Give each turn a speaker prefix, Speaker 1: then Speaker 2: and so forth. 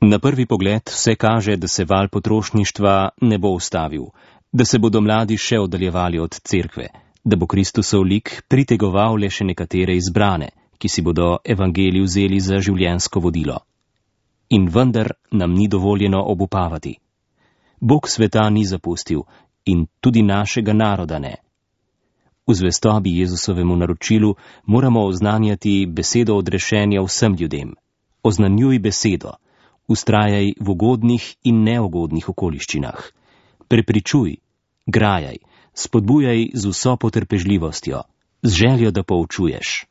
Speaker 1: Na prvi pogled vse kaže, da se val potrošništva ne bo ustavil, da se bodo mladi še oddaljevali od cerkve, da bo Kristusov lik pritegoval le še nekatere izbrane, ki si bodo evangelij vzeli za življenjsko vodilo. In vendar nam ni dovoljeno obupavati. Bog sveta ni zapustil in tudi našega naroda ne. V zvestobi Jezusovemu naročilu moramo oznanjati besedo odrešenja vsem ljudem. Oznanjuj besedo, vztrajaj v ugodnih in neugodnih okoliščinah. Prepričuj, grajaj, spodbujaj z vso potrpežljivostjo, z željo, da poučuješ.